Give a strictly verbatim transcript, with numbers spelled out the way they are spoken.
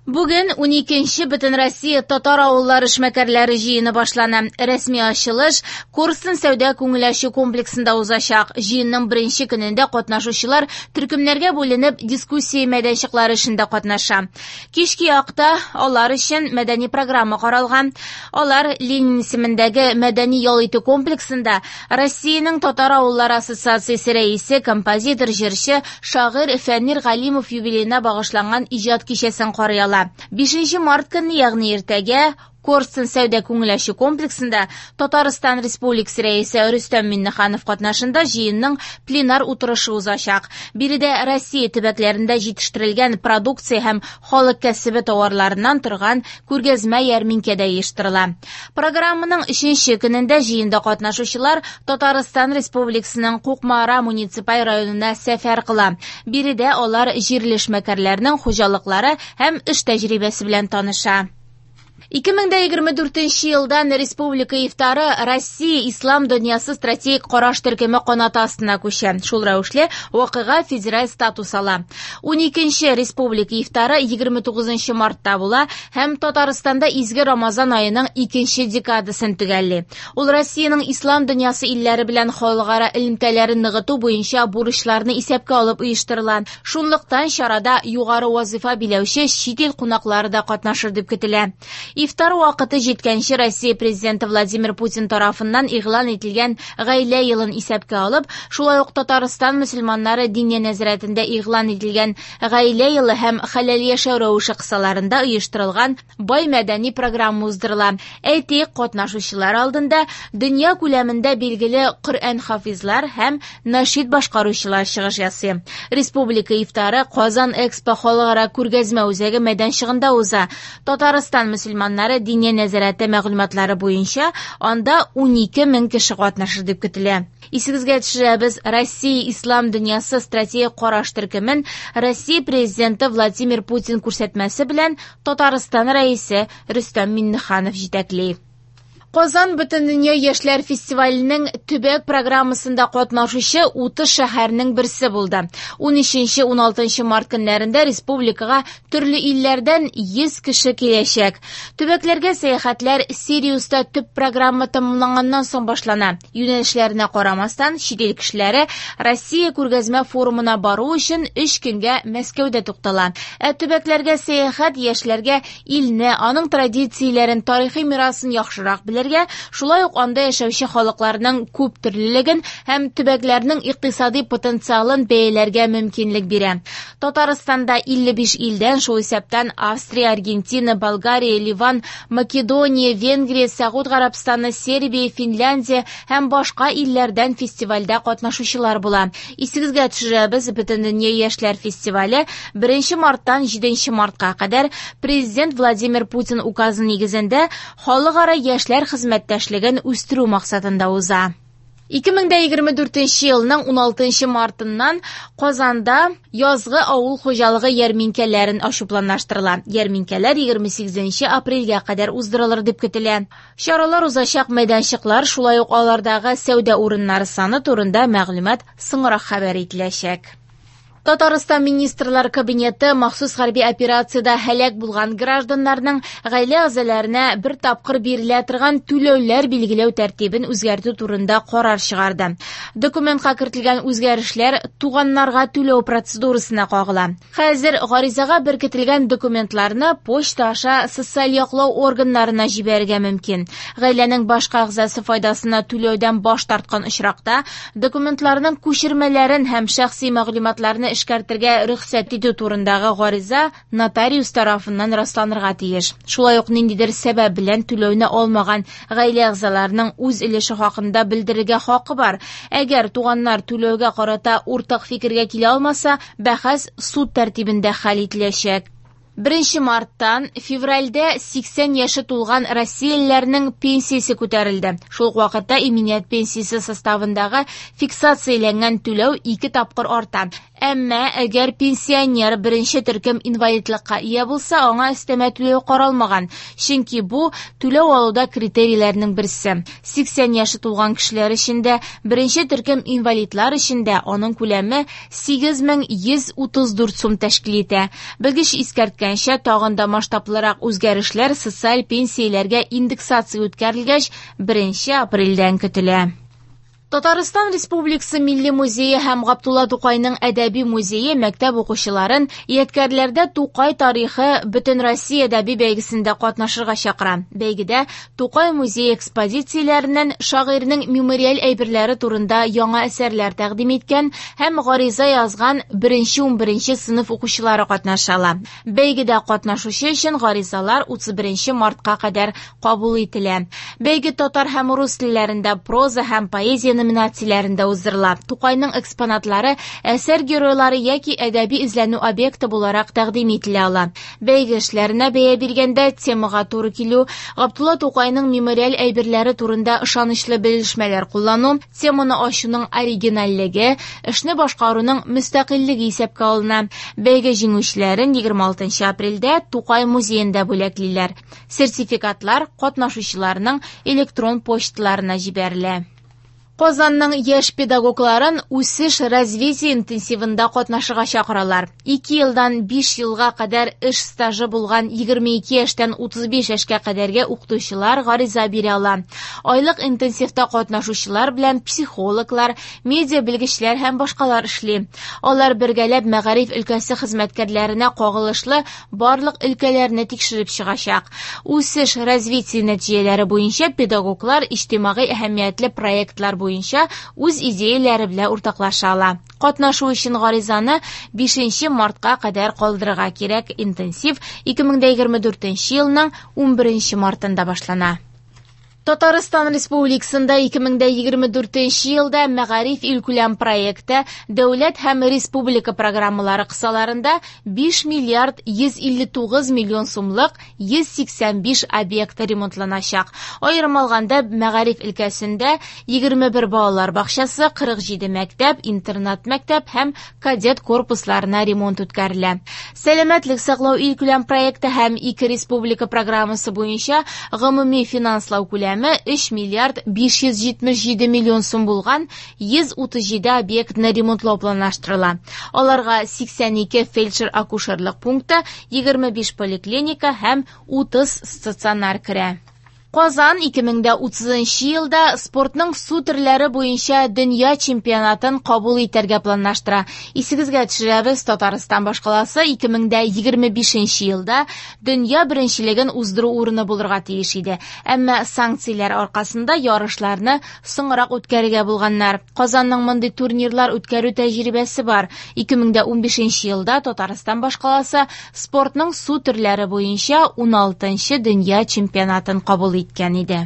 Бүген уникенче Бөтенроссия татар авыллары эшмәкәрләре җыены башлана. Рәсми ачылыш Корстон сәүдә күңел ачу комплексында узачак. Җыенның беренче көнендә катнашучылар төркемнәргә бүленеп дискуссия мәйданчыклары эшендә катнаша. Кичке якта алар өчен мәдәни программа каралган. Алар Ленин исемендәге мәдәни ял итү комплексында Россиянең татар авыллары ассоциациясе рәисе, композитор, җырчы, шагыйрь Фәнир Галимов юбилеена багышланган иҗат кичәсен карый ала. Бишенче март көнне, ягъни иртәгә, Корстон сәүдә күңел ачу комплексында Татарстан Республикасы рәисе Рөстәм Миңнеханов катнашында җыенның пленар утырышы узачак. Биредә Россия төбәкләрендә җитештерелгән продукция һәм халык кәсебе товарларыннан торган күргәзмә ярминкә дә оештырыла. Программаның өченче көнендә җыенда катнашучылар Татарстан Республикасының Кукмара муниципаль районына сәфәр кыла. Биредә алар җирле эшмәкәрләрнең хуҗалыклары һәм эш тәҗрибәсе белән таныша. Ике мең дә егерме дүртенче елдан республика ифтары Россия ислам дөньясы стратегик караш төркеме канаты астына күчә. Шул рәвешле вакыйга федераль статус ала. Уникенче республика ифтары егерме тугызынчы мартта була һәм Татарстанда изге Рамазан аеның икенче декадасын төгәлли. Ул Россиянең ислам дөньясы илләре белән халыкара элемтәләрен ныгыту буенча бурычларны исәпкә алып оештырыла. Шунлыктан чарада югары вазифа биләүче чит ил кунаклары да катнашыр дип көтелә. Ифтар вакыты җиткәнче Россия президенты Владимир Путин тарафыннан игълан ителгән гаилә елын исәпкә алып, шулай ук Татарстан мөселманнары Диния нәзарәтендә игълан ителгән гаилә елы һәм хәләл яшәү рәвеше кысаларында оештырылган бай мәдәни программа уздырыла. Әйтик, катнашучылар алдында дөнья күләмендә билгеле Коръән хафизлар һәм нашид башкаручылар чыгыш ясый. Республика ифтары Казан Экспо халыкара күргәзмә үзәге мәйданчыгында уза. Татарстан мөселманнары Диния нәзарәте мәгълүматлары буенча анда унике мең кеше катнашыр дип көтелә. Исегезгә төшерәбез, Россия ислам дөньясы стратегик караш төркемен Россия президенты Владимир Путин күрсәтмәсе белән Татарстан рәисе Рөстәм Миңнеханов җитәкли. Казан Бөтендөнья яшьләр фестиваленең төбәк программасында катнашучы утыз шәһәрнең берсе булды. Унөченче, уналтынчы март көннәрендә республикага төрле илләрдән йөз кеше киләчәк. Төбәкләргә сәяхәтләр Сириуста төп программа тәмамланганнан соң башлана. Юнәлешләренә карамастан, чит ил кешеләре Россия күргәзмә форумына бару өчен өч көнгә Мәскәүдә туктала. Ә төбәкләргә сәяхәт яшьләргә илне, аның традицияләрен, тарихи мирасын яхшырак белергә, шулай ук анда яшәүче халыкларның күп төрлелеген һәм төбәкләрнең икътисади потенциалын бәяләргә мөмкинлек бирә. Татарстанда илле биш илдән, шул исәптән Австрия, Аргентина, Болгария, Ливан, Македония, Венгрия, Сәгуд Гарәбстаны, Сербия, Финляндия һәм башка илләрдән фестивальдә катнашучылар була. Исегезгә төшерәбез, Бөтендөнья яшьләр фестивале беренче марттан җиденче мартка кадәр Президент Владимир Путин указы нигезендә халыкара яшьләр хезмәттәшлеген үстерү максатында уза. Ике мең дә егерме дүртенче елның уналтынчы мартыннан Казанда язгы авыл хуҗалыгы ярминкәләрен ачу планлаштырыла. Ярминкәләр егерме сигезенче апрельгә кадәр уздырылыр дип көтелә. Чаралар узачак мәйданчыклар, шулай ук алардагы сәүдә урыннары саны турында мәгълүмат соңрак хәбәр ителәчәк. Татарстан Министрлар Кабинеты махсус хәрби операциядә һәлак булган гражданнарның гаилә әгъзаларына бер тапкыр бирелә торган түләүләр билгеләү тәртибен үзгәртү турында карар чыгарды. Документка кертелгән үзгәрешләр туганнарга түләү процедурасына кагыла. Хәзер гаризага беркетелгән документларны почта аша социаль яклау органнарына җибәрергә мөмкин. Гаиләнең башка әгъзасы файдасына түләүдән баш тарткан очракта документларның күчермәләрен һәм шәхси мәгълүматларны эшкәртергә рөхсәт итү турындагы гариза нотариус тарафыннан расланырга тиеш. Шулай ук ниндидер сәбәп белән түләүне алмаган гаилә әгъзаларының үз өлеше хакында белдерергә хакы бар. Әгәр туганнар түләүгә карата уртак фикергә килә алмаса, бәхәс суд тәртибендә хәл ителәчәк. Беренче марттан февральдә сиксән яше тулган россиялеләрнең пенсиясе күтәрелде. Шул ук вакытта иминият пенсиясе составындагы фиксацияләнгән түләү ике тапкыр арта. Әмма әгәр пенсионер беренче төркем инвалидлыкка ия булса, аңа өстәмә түләү каралмаган. Чөнки бу түләү алуда критерийләрнең берсе. Сиксән яше тулган кешеләр өчен дә, беренче төркем инвалидлар өчен дә аның күләме сигез мең йөз утыз дүрт сум тәшкил итә. Белгеч искәрткән Белдергәнчә, тагын да масштаблырак үзгәрешләр социаль пенсияләргә индексация үткәрелгәч, беренче апрельдән көтелә. Татарстан Республикасы Милли музее һәм Габдулла Тукайның әдәби музее мәктәп укучыларын ядкәрләрдә Тукай тарихы Бөтенроссия әдәби бәйгесендә катнашырга чакыра. Бәйгедә Тукай музее экспозицияләреннән шагыйрьнең мемориаль әйберләре турында яңа әсәрләр тәкъдим иткән һәм гариза язган беренче унберенче сыйныф укучылары катнаша ала. Бәйгедә катнашучы өчен гаризалар утыз беренче мартка кадәр кабул ителә. Бәйге татар һәм рус телләрендә проза һәм поэзия номинацияләрендә уздырыла. Тукайның экспонатлары әсәр геройлары яки әдәби эзләнү объекты буларак тәкъдим ителә ала. Бәйге эшләренә бәя биргәндә темага туры килү, Габдулла Тукайның мемориаль әйберләре турында ышанычлы белешмәләр куллану, теманы ачуның оригинальлеге, эшне башкаруның мөстәкыйльлеге исәпкә алына. Бәйге җиңүчеләрен егерме алтынчы апрельдә Тукай музеенда бүләклиләр. Сертификатлар катнашучыларның электрон почталарына җибәрелә. Казанның яшь педагогларын үсеш развитие интенсивында катнашырга чакыралар. Ике елдан биш елга кадәр эш стажы булган егерме ике яшьтән утыз биш яшькә кадәрге укытучылар гариза бирә ала. Айлык интенсивта катнашучылар белән психологлар, медиа белгечләр һәм башкалар эшли. Алар бергәләп мәгариф өлкәсе хезмәткәрләренә кагылышлы барлык өлкәләрне тикшереп чыгачак. Үсеш развитие нәтиҗәләре буенча педагоглар иҗтимагый әһәмиятле проектлар буенча буенча үз идеяләре белән уртаклаша ала. Катнашу өчен гаризаны бишенче мартка кадәр калдырырга кирәк. Интенсив ике мең дә егерме дүртенче елның унберенче мартында башлана. Татарстан Республикасында ике мең дә егерме дүртенче елда Мәгариф илкүләм проекты дәүләт һәм республика программалары кысаларында биш миллиард йөз илле тугыз миллион сумлык йөз сиксән биш объект ремонтланачак. Аерым алганда, мәгариф өлкәсендә егерме бер балалар бакчасы, кырык җиде мәктәп, интернат мәктәп һәм кадет корпусларына ремонт үткәрелә. Сәламәтлек саклау илкүләм проекты һәм ике республика программасы буенча гомуми финанслау күләме өч миллиард биш йөз җитмеш җиде миллион сум булган йөз утыз җиде объектны ремонтлау планлаштырыла. Аларга сиксән ике фельдшер-акушерлык пункты, егерме биш поликлиника һәм утыз стационар керә. Казан ике мең дә утызынчы елда спортның су төрләре буенча дөнья чемпионатын кабул итәргә планлаштыра. Исегезгә төшерәбез, Татарстан башкаласы ике мең дә егерме бишенче елда дөнья беренчелеген уздыру урыны булырга тиеш иде. Әмма санкцияләр аркасында ярышларны соңрак үткәрергә булганнар. Казанның мондый турнирлар үткәрү тәҗрибәсе бар. Ике мең дә унбишенче елда Татарстан башкаласы спортның су төрләре буенча уналтынчы дөнья чемпионатын кабул иткән иде.